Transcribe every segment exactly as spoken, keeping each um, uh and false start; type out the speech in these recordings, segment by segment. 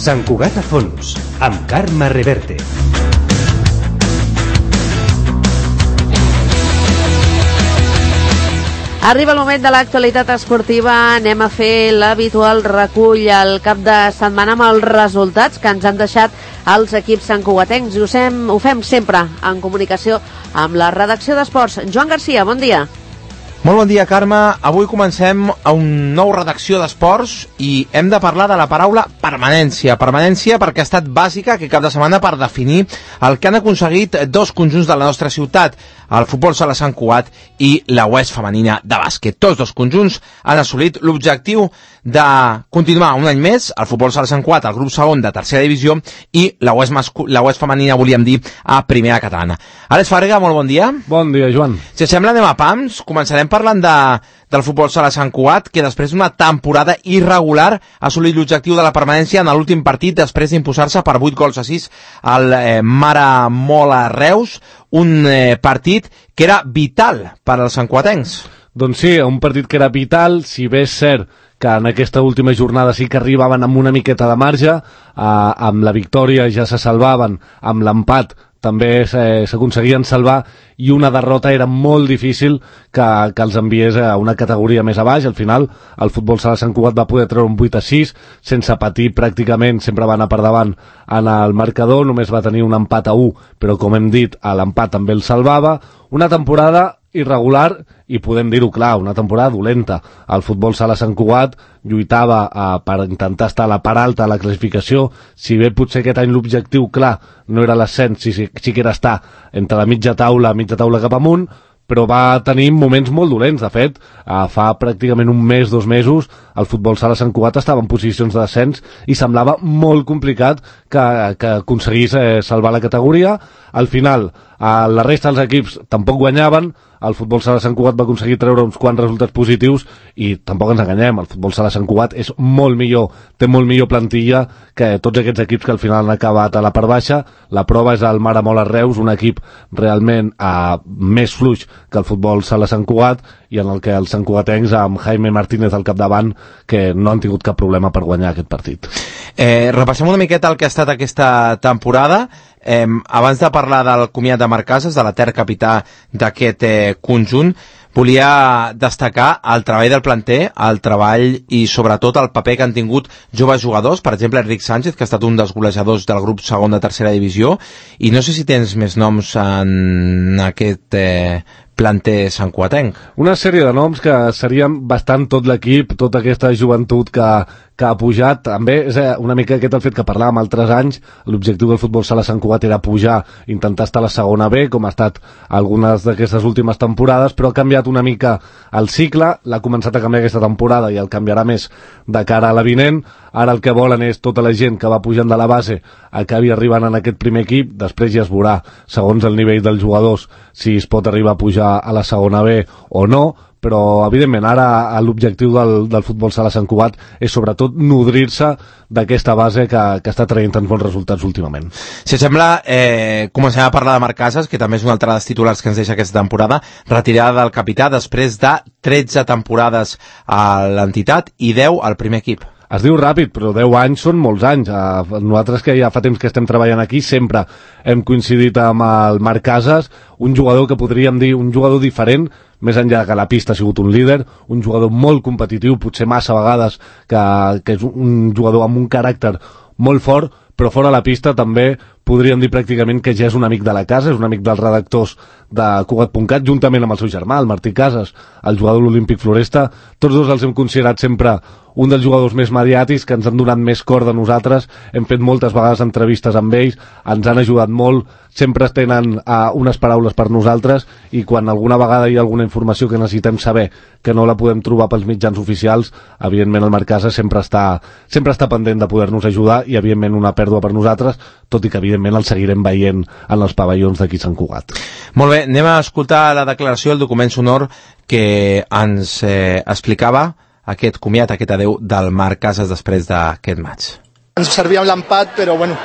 Sant Cugat a fons, amb Carme Reverte. Arriba el moment de l'actualitat esportiva. Anem a fer l'habitual recull al cap de setmana amb els resultats que ens han deixat els equips santcugatencs. Ho fem, ho fem sempre en comunicació amb la redacció d'Esports. Joan Garcia, bon dia. Molt bon dia, Carme. Avui comencem a un nou redacció d'esports i hem de parlar de la paraula permanència. Permanència perquè ha estat bàsica aquest cap de setmana per definir el que han aconseguit dos conjunts de la nostra ciutat, el Futbol Sala Sant Cugat i la U E S femenina de bàsquet. Tots dos conjunts han assolit l'objectiu de continuar un any més el Futbol Sala Sant Cugat al grup segon de tercera divisió i la U E S, mascu- la U E S femenina, volíem dir, a primera catalana. Àlex Farga, molt bon dia. Bon dia, Joan. Si sembla, anem a pams. Començarem parlant de, del Futbol Sala Sant Cugat, que després d'una temporada irregular ha assolit l'objectiu de la permanència en l'últim partit després d'imposar-se per vuit gols a sis al eh, Mare Mola Reus, un eh, partit que era vital per als santcugatencs. Doncs sí, un partit que era vital, si bé és cert que en aquesta última jornada sí que arribaven amb una miqueta de marge, eh, amb la victòria ja se salvaven, amb l'empat també s'aconseguien salvar, i una derrota era molt difícil que, que els enviés a una categoria més a baix. Al final el Futbol Sala Sant Cugat va poder treure un vuit a sis sense patir pràcticament, sempre va anar per davant en el marcador, només va tenir un empat a u, però com hem dit, l'empat també el salvava. Una temporada irregular i podem dir-ho clar, una temporada dolenta. El Futbol Sala Sant Cugat lluitava eh, per intentar estar a la part alta de la classificació, si bé potser aquest any l'objectiu clar no era l'ascens, sí, sí, sí que era estar entre la mitja taula, mitja taula cap amunt, però va tenir moments molt dolents. De fet, eh, fa pràcticament un mes, dos mesos, el Futbol Sala Sant Cugat estava en posicions de descens i semblava molt complicat que, que aconseguís eh, salvar la categoria. Al final, eh, la resta dels equips tampoc guanyaven. El Futbol Sala Sant Cugat va aconseguir treure uns quants resultats positius i tampoc ens enganyem, el Futbol Sala Sant Cugat és molt millor, té molt millor plantilla que tots aquests equips que al final han acabat a la part baixa. La prova és el Mare Mola Reus, un equip realment eh, més fluix que el Futbol Sala Sant Cugat, i en el que els santcugatencs, amb Jaime Martínez al capdavant, que no han tingut cap problema per guanyar aquest partit. Eh, repassem una miqueta el que ha estat aquesta temporada. Eh, abans de parlar del comiat de Marc Casas, de l'etern capità d'aquest eh, conjunt, volia destacar el treball del planter, el treball i sobretot el paper que han tingut joves jugadors, per exemple Enric Sánchez, que ha estat un dels golejadors del grup segon de tercera divisió, i no sé si tens més noms en aquest eh, planter santcugatenc. Una sèrie de noms que serien bastant tot l'equip, tota aquesta joventut que, que ha pujat. També és una mica aquest el fet que parlàvem altres anys, l'objectiu del Futbol Sala Sant Cugat era pujar, intentar estar a la segona B, com ha estat algunes d'aquestes últimes temporades, però ha canviat una mica el cicle, l'ha començat a canviar aquesta temporada i el canviarà més de cara a la vinent. Ara el que volen és tota la gent que va pujant de la base acabi arribant en aquest primer equip, després ja es veurà, segons el nivell dels jugadors, si es pot arribar a pujar a la segona B o no, però evidentment ara l'objectiu del, del Futbol Sala Sant Cugat és sobretot nodrir-se d'aquesta base que, que està traient tants bons resultats últimament. Si sembla, eh, comencem a parlar de Marc Casas, que també és un altre dels titulars que ens deixa aquesta temporada, retirada del capità després de tretze temporades a l'entitat i deu al primer equip. Es diu ràpid, però deu anys són molts anys. Uh, nosaltres que ja fa temps que estem treballant aquí sempre hem coincidit amb el Marc Casas, un jugador que podríem dir un jugador diferent, més enllà que la pista ha sigut un líder, un jugador molt competitiu, potser massa vegades, que, que és un jugador amb un caràcter molt fort, però fora la pista també podríem dir pràcticament que ja és un amic de la casa, és un amic dels redactors de Cugat punt cat, juntament amb el seu germà, el Martí Casas, el jugador de l'Olímpic Floresta. Tots dos els hem considerat sempre un dels jugadors més mediàtics, que ens han donat més cor de nosaltres. Hem fet moltes vegades entrevistes amb ells, ens han ajudat molt, sempre tenen uh, unes paraules per nosaltres, i quan alguna vegada hi ha alguna informació que necessitem saber que no la podem trobar pels mitjans oficials, evidentment el Marc Casas sempre està, sempre està pendent de poder-nos ajudar, i evidentment una pèrdua per nosaltres, tot i que evidentment el seguirem veient en els pavellons d'aquí Sant Cugat. Molt bé, anem a escoltar la declaració, el document sonor que ens eh, explicava aquest comiat, aquest adeu del Marc Casas després d'aquest maig. Ens servia amb l'empat, però bueno,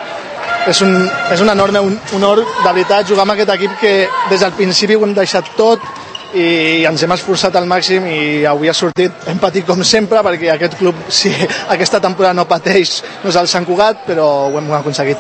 és un, és un enorme honor, de veritat, jugar amb aquest equip que des del principi ho hem deixat tot, i ens hem esforçat al màxim i avui ha sortit, hem patit com sempre perquè aquest club, si aquesta temporada no pateix, no és el Sant Cugat, però ho hem aconseguit.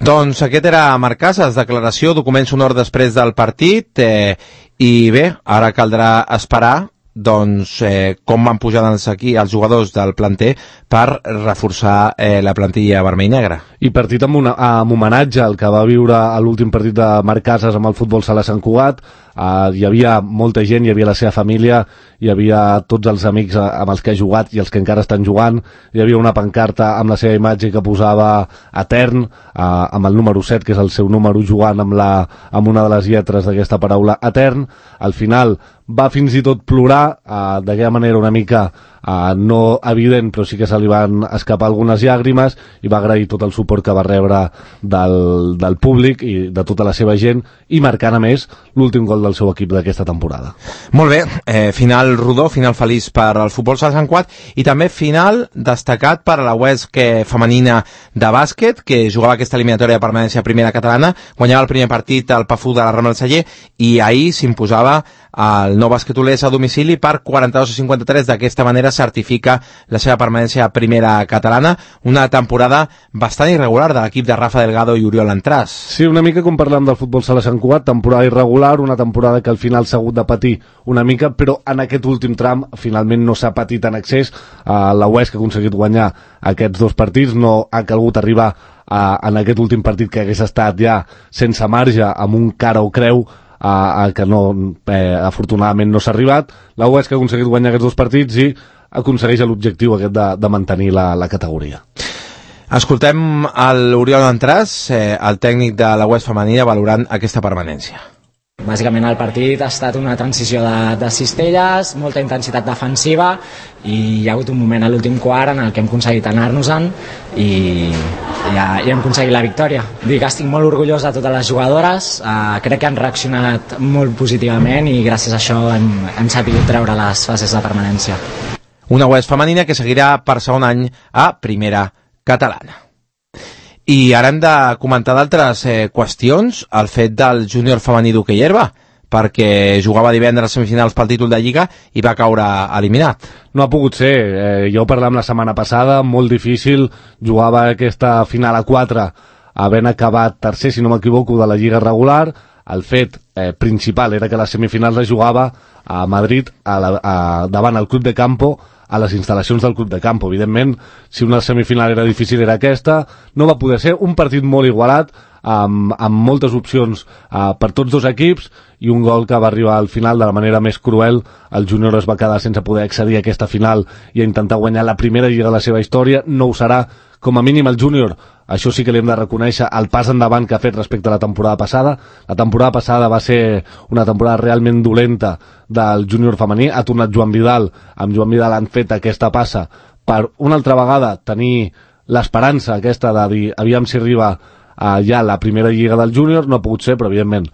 Doncs aquest era Marc Casas, declaració, document sonor després del partit, eh, i bé, ara caldrà esperar doncs eh, com van pujant els, aquí els jugadors del planter per reforçar eh, la plantilla vermell i negra. I partit amb, una, amb homenatge al que va viure a l'últim partit de Marc Casas amb el futbol sala Sant Cugat. Uh, hi havia molta gent, hi havia la seva família, hi havia tots els amics amb els que ha jugat i els que encara estan jugant, hi havia una pancarta amb la seva imatge que posava Etern, uh, amb el número set, que és el seu número, jugant amb, la, amb una de les lletres d'aquesta paraula Etern. Al final va fins i tot plorar, uh, d'aquella manera una mica uh, no evident, però sí que se li van escapar algunes llàgrimes, i va agrair tot el suport que va rebre del, del públic i de tota la seva gent, i marcant a més l'últim gol del seu equip d'aquesta temporada. Molt bé, eh, final rodó, final feliç per al futbol sala Sant Cugat, i també final destacat per a la U E S C femenina de bàsquet, que jugava aquesta eliminatòria de permanència primera catalana, guanyava el primer partit al Pafú de la Rambla del Celler, i ahir s'imposava el Nou Bàsquet Olesa a domicili per quaranta-dos a cinquanta-tres. D'aquesta manera certifica la seva permanència a primera catalana, una temporada bastant irregular de l'equip de Rafa Delgado i Oriol Entràs. Sí, una mica com parlem del futbol sala Sant Cugat, temporada irregular, una temporada que al final s'ha hagut de patir una mica, però en aquest últim tram finalment no s'ha patit en excés. Uh, la U E S C ha aconseguit guanyar aquests dos partits, no ha calgut arribar uh, en aquest últim partit que hagués estat ja sense marge, amb un cara o creu, a, a que no, eh, afortunadament no s'ha arribat. La U E S C ha aconseguit guanyar aquests dos partits i aconsegueix l'objectiu aquest de, de mantenir la, la categoria. Escoltem l'Oriol Entràs, eh, el tècnic de la U E S C femenina, valorant aquesta permanència. Bàsicament el partit ha estat una transició de, de cistelles, molta intensitat defensiva, i hi ha hagut un moment a l'últim quart en el que hem aconseguit anar-nos-en i, i, i hem aconseguit la victòria. Dic que estic molt orgullós de totes les jugadores, eh, crec que han reaccionat molt positivament i gràcies a això hem, hem sabut treure les fases de permanència. Una U E S C femenina que seguirà per segon any a primera catalana. I ara hem de comentar d'altres eh, qüestions, el fet del júnior femení d'hoquei herba, perquè jugava divendres semifinals pel títol de Lliga i va caure eliminat. No ha pogut ser, eh, ja ho parlàvem la setmana passada, molt difícil, jugava aquesta final a quatre, havent acabat tercer, si no m'equivoco, de la Lliga regular. El fet eh, principal era que les semifinals les jugava a Madrid, a la, a, davant el Club de Campo, a les instal·lacions del Club de Campo. Evidentment, si una semifinal era difícil era aquesta, no va poder ser. Un partit molt igualat, amb, amb moltes opcions uh, per tots dos equips, i un gol que va arribar al final de la manera més cruel. El júnior es va quedar sense poder accedir a aquesta final i a intentar guanyar la primera lliga de la seva història. No ho serà, com a mínim el júnior. Això sí que li hem de reconèixer el pas endavant que ha fet respecte a la temporada passada. La temporada passada va ser una temporada realment dolenta del júnior femení. Ha tornat Joan Vidal. Amb Joan Vidal han fet aquesta passa per una altra vegada tenir l'esperança aquesta de dir aviam si arriba a ja la primera lliga del júnior. No ha pogut ser, però evidentment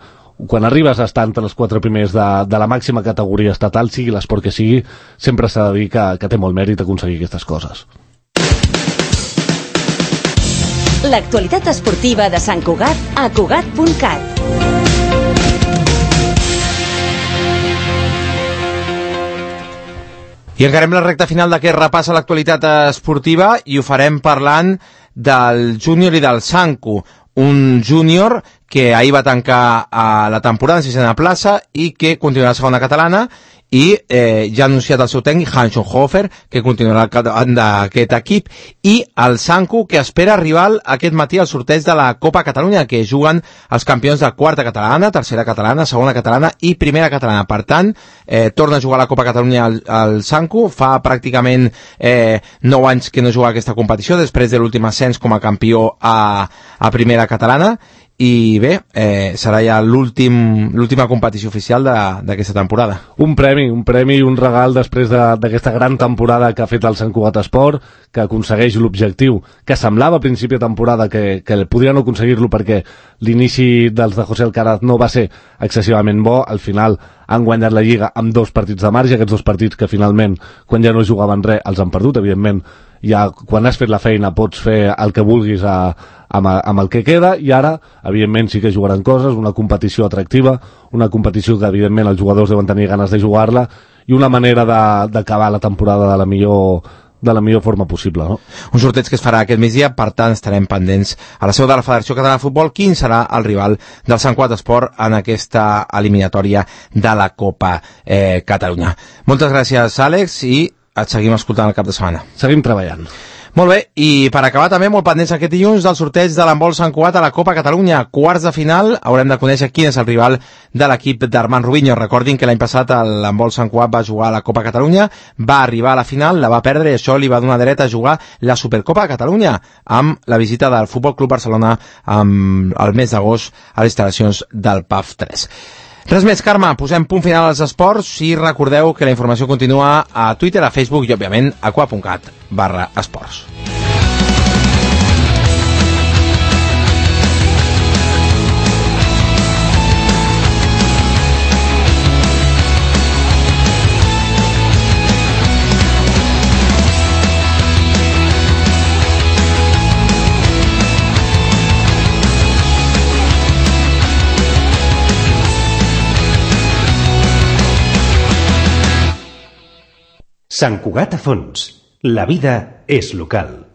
quan arribes a estar entre els quatre primers de, de la màxima categoria estatal, sigui l'esport que sigui, sempre s'ha de dir que, que té molt mèrit aconseguir aquestes coses. L'actualitat esportiva de Sant Cugat a Cugat punt cat. I encarem la recta final d'aquest repàs a l'actualitat esportiva i ho farem parlant del júnior i del Sanku. Un júnior que ahir va tancar a la temporada en sisena plaça i que continuarà a segona catalana, i eh, ja ha anunciat el seu tècnic, Hans Schoenhofer, que continuarà al capdavant d'aquest equip, i el Sanku, que espera rival aquest matí al sorteig de la Copa Catalunya, que juguen els campions de quarta catalana, tercera catalana, segona catalana i primera catalana. Per tant, eh, torna a jugar a la Copa Catalunya al, al Sanku. Fa pràcticament eh, nou anys que no juga a aquesta competició, després de l'últim ascens com a campió a, a primera catalana. I bé, eh, serà ja l'últim, l'última competició oficial d'aquesta temporada. Un premi, un premi i un regal després d'aquesta de, gran temporada que ha fet el Sant Cugat Esport, que aconsegueix l'objectiu que semblava a principi de temporada que, que podria no aconseguir-lo perquè l'inici dels de José Alcaraz no va ser excessivament bo. Al final han guanyat la Lliga amb dos partits de marge, aquests dos partits que finalment, quan ja no jugaven res, els han perdut. Evidentment, ja quan has fet la feina pots fer el que vulguis a, amb, amb el que queda, i ara evidentment sí que jugaran coses, una competició atractiva, una competició que evidentment els jugadors deuen tenir ganes de jugar-la, i una manera d'acabar la temporada de la millor de la millor forma possible, no? Un sorteig que es farà aquest migdia, per tant estarem pendents a la seu de la Federació Catalana de Futbol quin serà el rival del Sant Cugat Esport en aquesta eliminatòria de la Copa eh, Catalunya. Moltes gràcies, Àlex, i et seguim escoltant el cap de setmana. Seguim treballant. Molt bé, i per acabar també molt pendents aquest dilluns del sorteig de l'handbol Sant Cugat a la Copa Catalunya. Quarts de final, haurem de conèixer quin és el rival de l'equip d'Armand Rubinho. Recordin que l'any passat l'handbol Sant Cugat va jugar a la Copa Catalunya, va arribar a la final, la va perdre, i això li va donar dret a jugar la Supercopa de Catalunya amb la visita del Futbol Club Barcelona amb el mes d'agost a les instal·lacions del P A F tres. Res més, Carme, posem punt final als esports i recordeu que la informació continua a Twitter, a Facebook i, òbviament, a aqua.cat barra esports. Sant Cugat a fons. La vida és local.